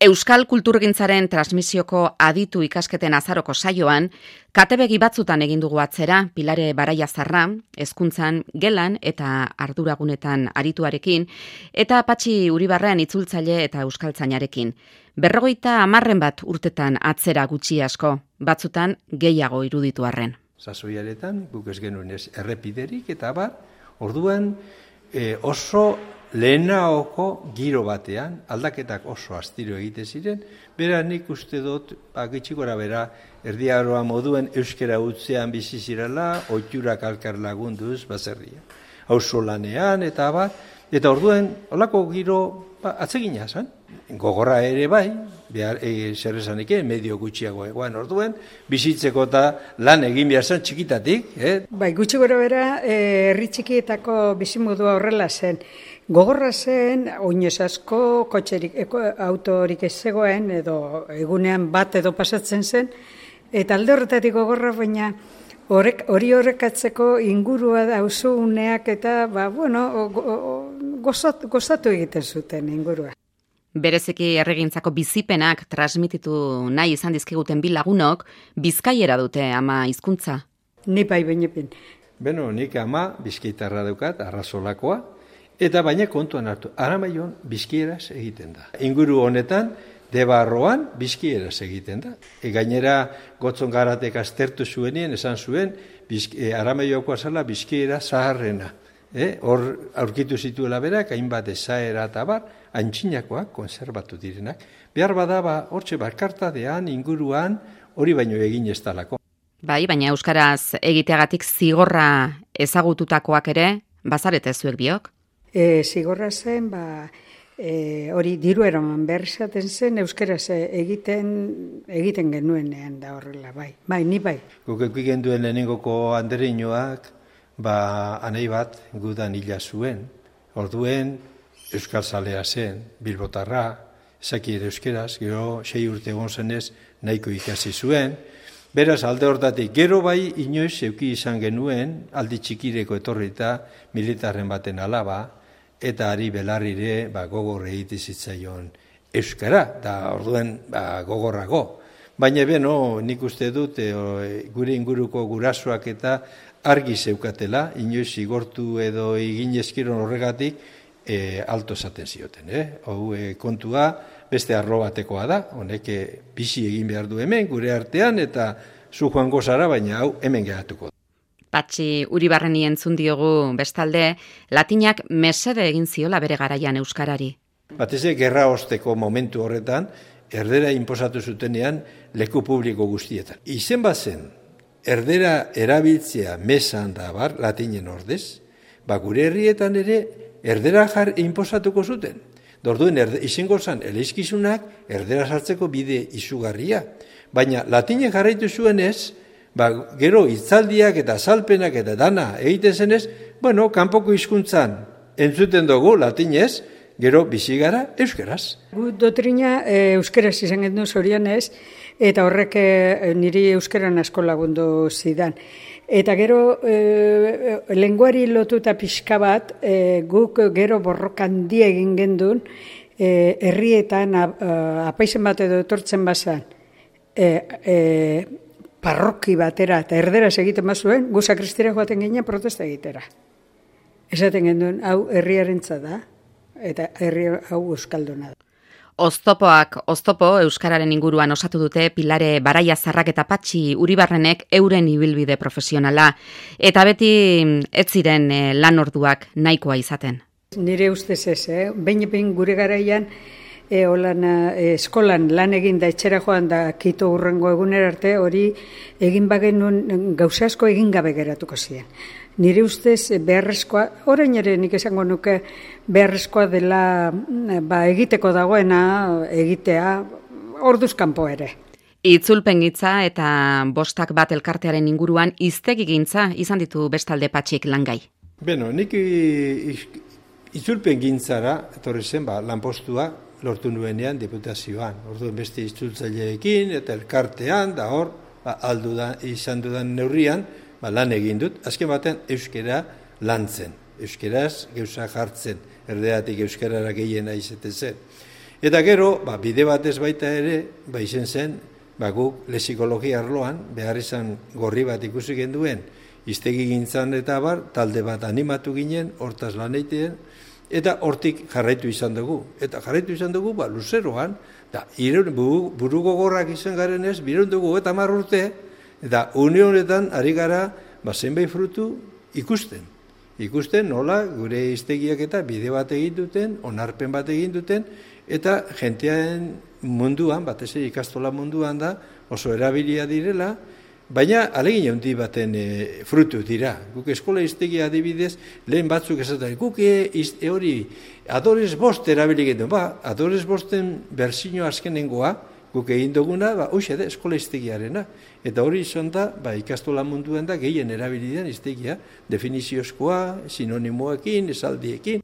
Euskal kulturgintzaren transmisioko aditu ikasketen azaroko saioan, katebegi batzutan egin dugu atzera, Pilare Baraiazarra, hezkuntzan, gelan eta arduragunetan arituarekin, eta Patxi Uribarren itzultzaile eta euskaltzainarekin. 50 bat urtetan atzera gutxi asko, batzutan gehiago iruditu arren. Sasoiaretan, guk ez genuen errepiderik eta orduan oso lehenaoko giro batean, aldaketak oso astiro egite ziren, bera nik uste dut, gitxikora bera, erdiaroa moduen euskera utzean bizi zirela, oiturak alkar lagunduz baserria. Auzo lanean eta orduan, olako giro atsegina zen. Gogorra ere bai, zer esanik, medio gutxiago egoan orduan, bizitzeko eta lan egin behar zen txikitatik. Bai, gutxi gora bera, herri txikietako bizimodua horrela zen. Gogorra zen, oinez asko, kotxerik, autorik ez zegoen, edo egunean bat edo pasatzen zen, eta alde horretatik gogorra, baina hori horrekatzeko ingurua dauzuneak eta, gozatu egiten zuten ingurua. Bereziki erregintzako bizipenak transmititu nahi izan dizkiguten bi lagunok, bizkaiera dute ama hizkuntza. Ni bai bainepin. Beno, nik ama bizkaitarra daukat, arrazolakoa, eta baina kontuan hartu, Aramaion bizkieraz egiten da. Inguru honetan, Debarroan bizkieraz egiten da. Gainera, Gotzon Garatek aztertu zuenien, esan zuen, Aramaioko azala bizkiera zaharrena. Hor aurkitu zituela berak, hainbat esaera eta antxinakoak, konserbatu direnak. Behar bada, hortxe barkartadean, inguruan, hori baino egin ez talako. Bai, baina euskaraz egiteagatik zigorra ezagututakoak ere, bazarete zuek biok? Zigorra zen, hori diru eraman behar izaten zen, euskaraz egiten genuenean da horrela, bai. Bai, ni bai. Guk eukigen duen lehenengoko andereinoak, anei bat gudan hila zuen. Orduen, euskaltzalea zen, bilbotarra, ezaki ere euskeraz, gero 6 urte egon zenez nahiko ikasi zuen. Beraz, alde hortatik, gero bai inoiz euki izan genuen, aldi txikireko etorrita militarren baten alaba, eta ari belarrire gogor egite zitzaion euskara, da orduen gogorrago. Baina nik uste dut, gure inguruko gurasoak eta argi zeukatela, inoiz zigortu edo egin eskiron horregatik, alto esaten zioten. Kontua beste arlo batekoa da, honek bizi egin behar du hemen, gure artean, eta zu joango zara, baina hau hemen geratuko. Patxi Uribarreni entzun diogu bestalde, latinak mesede egin ziola bere garaian euskarari. Batez gerra osteko momentu horretan, erdera inposatu zutenean leku publiko guztietan. Izen bazen, erdera erabiltzea mesan da latinen ordez, gure herrietan ere erdera inposatuko zuten. Dorduen izango zen eleizkizunak erdera sartzeko bide izugarria. Baina latinen jarraitu zuenez, gero hitzaldiak eta azalpenak eta dana egiten zenez, kanpoko hizkuntzan entzuten dugu latinez, gero bizi gara euskeraz. Gu dotrina euskeraz izan gendu zorionez, eta horrek niri euskeran asko lagundu zidan. Eta gero, lenguari lotuta pixka bat, guk gero borrokan die egin gendun, herrietan apaizen bat edo etortzen bazan, parroki batera eta erderaz egiten bazuen, gu sakristira joaten ginen protesta egitera. Esaten genduen, hau herriarentza da, eta herri hau euskalduna da. Oztopo euskararen inguruan osatu dute Pilare Baraiazarrak eta Patxi Uribarrenek euren ibilbide profesionala, eta beti ez ziren lan orduak nahikoa izaten. Nire ustez ez, behin gure garaian eskolan lan egin da etxera joan da kito hurrengo egunera arte, hori egin bagenuen gauza asko egin gabe geratuko ziren. Nire ustez beharrezkoa, orain ere nik esango nuke beharrezkoa dela egiteko dagoena egitea orduz kanpo ere. Itzulpengintza eta 5 bat elkartearen inguruan hiztegigintza izan ditu bestalde Patxik langai. Nik itzulpengintzara etorri zen lanpostua lortu nuenean diputazioan. Orduan beste itzultzaileekin eta elkartean da hor izan dudan neurrian lan egin dut, azken batean euskera lantzen, euskeraz gauza jartzen, erdeatik euskarara gehiena izaten zen. Eta gero, bide batez baita ere, izen zen, guk lexikologia arloan, behar izan gorri bat ikusi genduen, hiztegi gintzan eta talde bat animatu ginen, hortaz lan egiten, eta hortik jarraitu izan dugu. Eta jarraitu izan dugu, luzeroan, buru gogorrak izan garen ez, birun dugu eta 10 urte, eta unionetan ari gara, zenbait frutu ikusten. Ikusten nola gure hiztegiak eta bide bat egin duten, onarpen bat egin duten, eta jentearen munduan, batez ere ikastola munduan da, oso erabilia direla, baina alegin handi baten frutu dira. Guk eskola hiztegia adibidez, lehen batzuk esaten, guk hori Adores 5 erabili gendu, Adores 5-en berzio azkenengoa, guk egin duguna, hoxe da, eskola hiztegiarena. Eta hori izan da, ikastola munduan da, gehien erabilidean hiztegia, definiziozkoa, sinonimoekin, esaldiekin.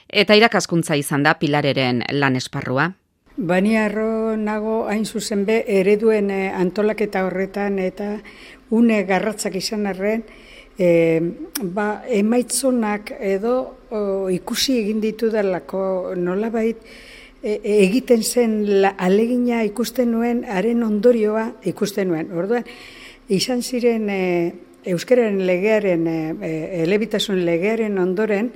Eta irakaskuntza izan da Pilareren lan esparrua. Bani harro nago hain zuzen be, ereduen antolaketa horretan eta une garratzak izan arren, emaitzonak edo ikusi egin ditu dalako nolabait, egiten zen alegina ikusten nuen, haren ondorioa ikusten nuen. Orduan, izan ziren euskararen legearen, elebitasun legearen ondoren,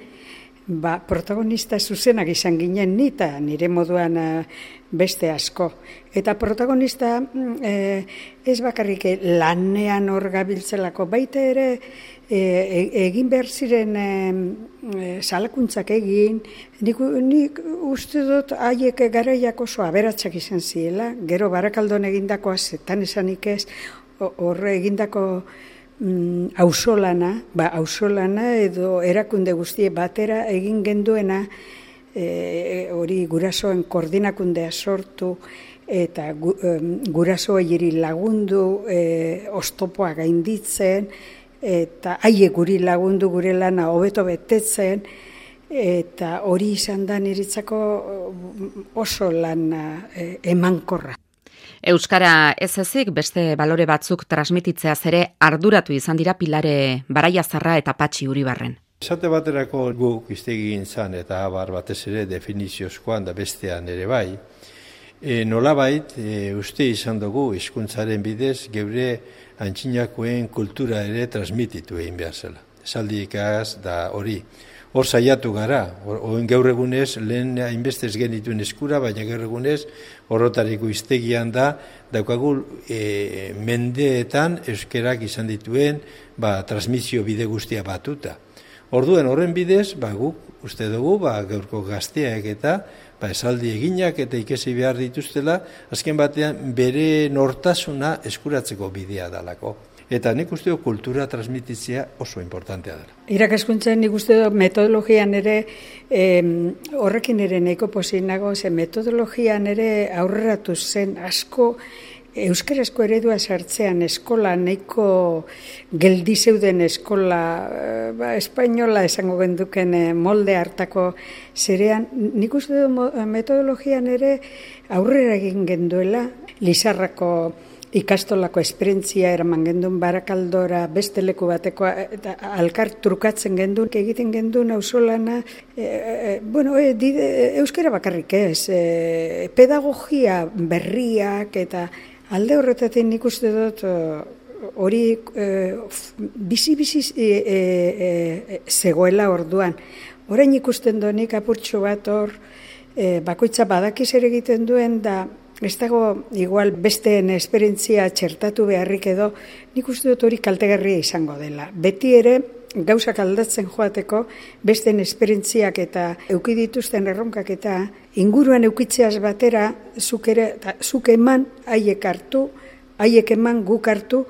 protagonista zuzenak izan ginen ni eta nire moduan beste asko. Eta protagonista ez bakarrik lanean hor gabiltzelako, baita ere egin behar ziren salakuntzak egin, nik uste dut haiek garaiak oso aberatsak izan ziela, gero Barakaldon egindakoa zetan esanik ez, horre egindako ausolana edo erakunde guztie batera egin genduena, hori gurasoen koordinakundea sortu eta gurasoei lagundu oztopoa gainditzen eta haiek guri lagundu gure lana hobeto betetzen, eta hori izan da niretzako oso lana emankorra. Euskara ez ezik beste balore batzuk transmititzeaz ere arduratu izan dira Pilare Baraiazarra eta Patxi Uribarren. Esate baterako guk hiztegin zan eta batez ere definiziozkoan da bestean ere bai, nolabait uste izan dugu hizkuntzaren bidez geure antzinakoen kultura ere transmititu egin behar zela. Esaldikaz da hori. Hor saiatu gara, gaur egunez, lehen hainbestez genituen eskura, baina gaur egunez, horrotariko hiztegian da, daukagu mendeetan euskerak izan dituen transmisio bide guztia batuta. Orduen horren bidez, guk uste dugu, gaurko gazteak eta esaldi eginak eta ikesi behar dituztela, azken batean bere nortasuna eskuratzeko bidea dalako. Eta nik uste dut kultura transmititzea oso importantea dela. Irakaskuntzan nik uste dut metodologian ere, horrekin ere nahiko pozik nago, metodologian ere aurreratu zen asko euskarazko eredua sartzean eskola nahiko geldi zeuden eskola espainola esango genduken molde hartako zerean, nik uste dut metodologian ere aurrera egin genduela, Lizarrako ikastolako esperientzia eraman gendun Barakaldora beste leku bateko eta alkar trukatzen gendun, egiten gendun ausolana, euskara bakarrik ez, pedagogia berriak eta alde horretatik nik uste dut hori bizi-bizi zegoela orduan. Orain ikusten donik apurtxo bat hor, bakoitza badakiz ere egiten duen da, ez dago igual besteen esperientzia txertatu beharrik edo, nik uste dut hori kaltegarria izango dela. Beti ere, gauzak aldatzen joateko, besteen esperientziak eta euki dituzten erronkak eta inguruan eukitzeaz batera, zuk eman, haiek hartu, haiek eman, guk hartu,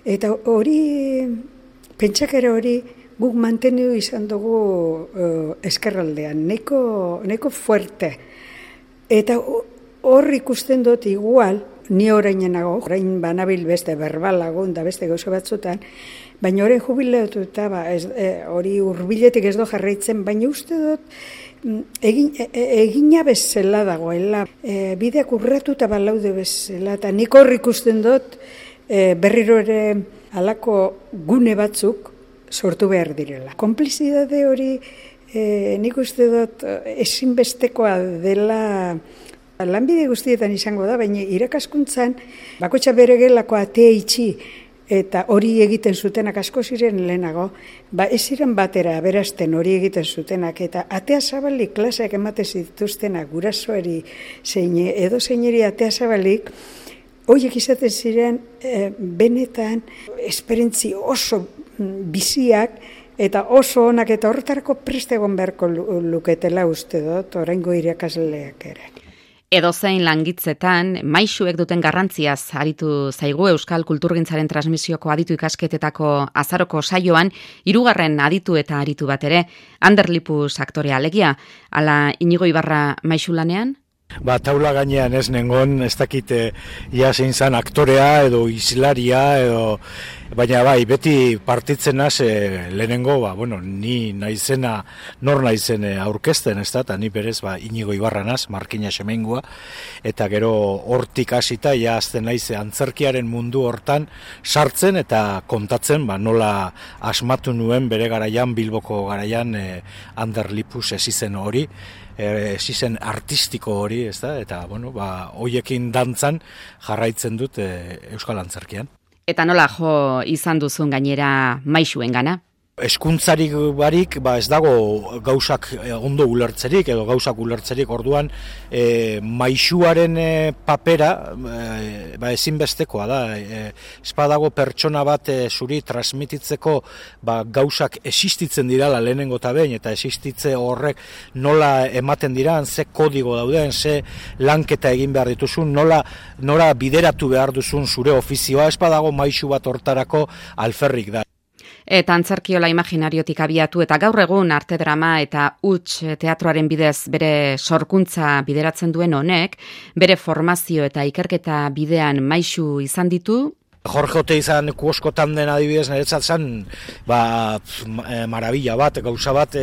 eta hori, pentsakera hori, guk manteniu izan dugu eskerraldean, nahiko fuerte. Eta hor ikusten dut igual, ni orainenago, orain banabil beste berbalagun da beste gauza batzutan, baina orain jubileatuta, hori hurbiletik ez do jarraitzen, baina uste dut egina bezala dagoela, bideak urratuta balaude bezala, eta nik hor ikusten dut berriro ere halako gune batzuk sortu behar direla. Konplizidade hori nik uste dut ezinbestekoa dela Lanbide guztietan izango da, baina irakaskuntzan bakoitza bere gelako atea itxi eta hori egiten zutenak asko ziren lehenago, ez ziren batera aberasten hori egiten zutenak eta atea zabalik klaseak emate zituztenak gurasoari edo zeineri atea zabalik, horiek izaten ziren benetan esperientzi oso biziak eta oso onak eta horretarako preste egon beharko luketela uste dut, oraingo irakasleak ere. Edozein langitzetan, maisuek duten garrantziaz aritu zaigu Euskal Kulturgintzaren transmisioko aditu ikasketetako azaroko saioan, 3. aditu eta aritu bat ere, Ander Lipus aktorea alegia, ala Inigo Ibarra maisu lanean? Taula gainean ez nengon, ez dakit ia zein zan aktorea edo islaria edo, baina bai, beti partitzen naz lehenengo, ni naizena, nor naizen aurkezten, ez da, eta ni berez Inigo Ibarra naz, Markina Xemengua, eta gero hortik hasita, ja azten naiz antzerkiaren mundu hortan sartzen eta kontatzen, nola asmatu nuen bere garaian, Bilboko garaian, Ander Lipus esizen hori, esizen artistiko hori, ez da, eta, hoiekin dantzan jarraitzen dut Euskal Antzerkian. Eta nola jo izan duzun gainera maisuen gana? Eskuntzarik barik, ez dago gauzak ondo ulertzerik, edo gauzak ulertzerik orduan, maisuaren papera ezinbestekoa da. Ez badago pertsona bat zuri transmititzeko gauzak existitzen dirala lehenengo eta behin, eta existitze horrek nola ematen diran, ze kodigo dauden, ze lanketa egin behar dituzun, nola bideratu behar duzun zure ofizioa, ez badago maisu bat hortarako alferrik da. Eta antzerkiola imaginariotik abiatu eta gaur egun arte drama eta huts teatroaren bidez bere sorkuntza bideratzen duen honek, bere formazio eta ikerketa bidean maisu izan ditu. Jorge Oteizan kuoskotan den adibidez niretzat zen marabila bat, gauza bat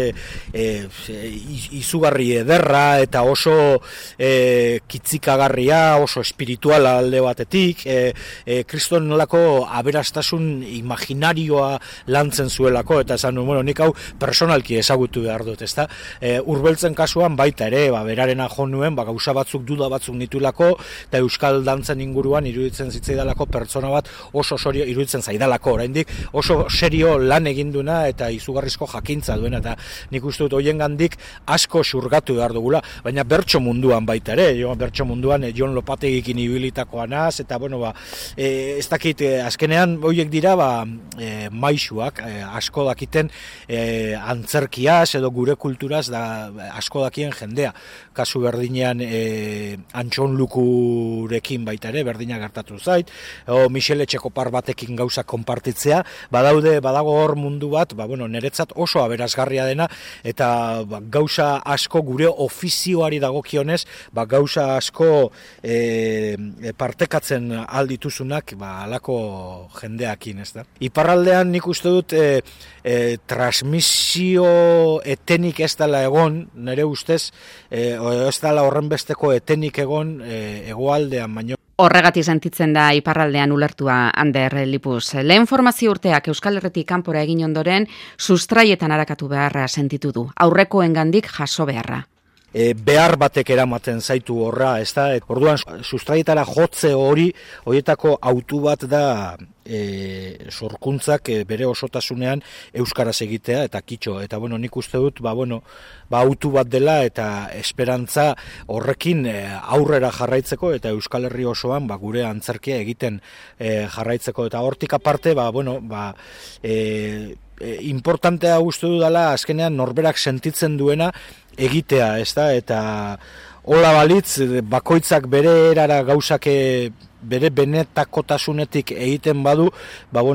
izugarri ederra eta oso kitzikagarria, oso espirituala alde batetik, kriston nolako aberastasun imaginarioa lantzen zuelako, eta esan nik hau personalki ezagutu behar dut, ezta? Urbeltzen kasuan baita ere, berarena jo nuen, gauza batzuk duda batzuk nitulako, eta euskal dantzen inguruan iruditzen zitzaidalako pertsona bat oso serio iruditzen zaidalako oraindik, oso serio lan eginduna eta izugarrizko jakintza duena, eta nik uste dut hoiengandik asko xurgatu behar dugula, baina bertso munduan baita ere, bertso munduan Jon Lopategikin ibilitakoa naz, eta ez dakit, azkenean hoiek dira maisuak, asko dakiten antzerkiaz edo gure kulturaz da asko dakien jendea, kasu berdinean Antxon Lukurekin baita ere, berdina gertatu zait, Michele Etxekopar batekin gauza konpartitzea, badago hor mundu bat, niretzat oso aberasgarria dena, eta gauza asko gure ofizioari dagokionez, gauza asko partekatzen aldituzunak, alako jendeakin, ez da. Iparraldean nik uste dut transmisio etenik ez dela egon, nire ustez, ez dela horrenbesteko etenik egon hegoaldean baino. Horregatik sentitzen da iparraldean ulertua Ander Lipus. Lehen formazio urteak Euskal Herritik kanpora egin ondoren, sustraietan arakatu beharra sentitu du. Aurrekoengandik jaso beharra. Behar batek eramaten zaitu horra, ez da? Orduan, sustraietara jotze horietako autu bat da sorkuntzak bere osotasunean euskaraz egitea eta kitxo. Eta nik uste dut, autu bat dela eta esperantza horrekin aurrera jarraitzeko eta Euskal Herri osoan gure antzerkia egiten jarraitzeko. Eta hortik aparte, importantea uste dudala azkenean norberak sentitzen duena egitea, ez da, eta hola balitz, bakoitzak bere erara gauzak bere benetakotasunetik egiten badu,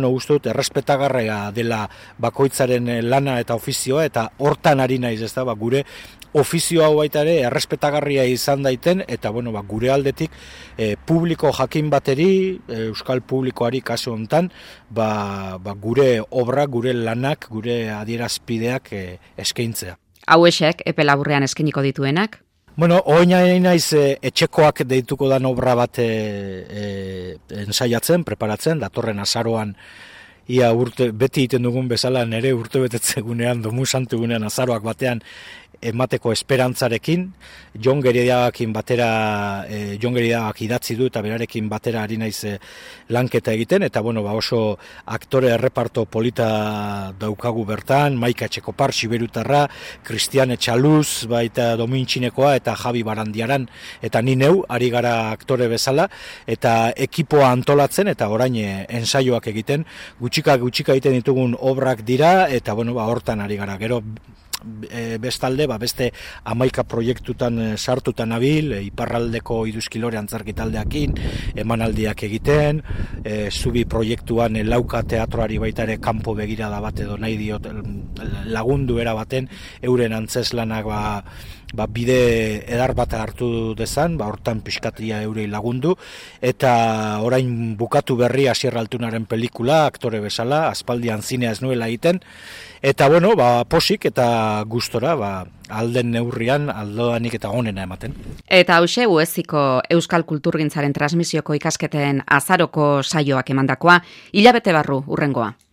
uste dut, errespetagarria dela bakoitzaren lana eta ofizioa, eta hortan ari naiz, ez da, gure ofizio hau baita ere errespetagarria izan daiten, eta gure aldetik publiko jakin bateri, euskal publikoari kasu hontan, gure obra, gure lanak, gure adierazpideak eskaintzea. Hauexek epe laburrean eskeniko dituenak? Oina naiz etxekoak deituko dan obra bat ensaiatzen, preparatzen, datorren azaroan, ia beti egiten dugun bezala nere urte betetzegunean, domu santugunean azaroak batean emateko esperantzarekin, Jon Geriagakin batera, Jon Geriagak idatzi du eta berarekin batera ari naiz lanketa egiten, eta bueno, oso aktore erreparto polita daukagu bertan, Maika Etxekopar, Siberutarra, Cristian Etxaluz, baita Domintxinekoa eta Javi Barandiaran, eta ni neu, ari gara aktore bezala, eta ekipoa antolatzen, eta orain ensaioak egiten, gutxika egiten ditugun obrak dira, eta bueno, hortan ari gara, gero bestalde, beste 11 proiektutan sartutan nabil, iparraldeko Iduzkilore antzerki taldeakin, emanaldiak egiten, zubi proiektuan Lauka teatroari baita ere kanpo begirada bat edo nahi diot lagundu era baten, euren antzeslanak bide edar bat hartu dezan, hortan pixkatia eurei lagundu, eta orain bukatu berri Asier Altunaren pelikula, aktore bezala, aspaldian zinea ez nuela egiten, eta bueno, posik eta gustora, alden neurrian, aldoanik eta onena ematen. Eta hause, Ueziko Euskal Kulturgintzaren transmisioko ikasketen azaroko saioak emandakoa, hilabete barru urrengoa.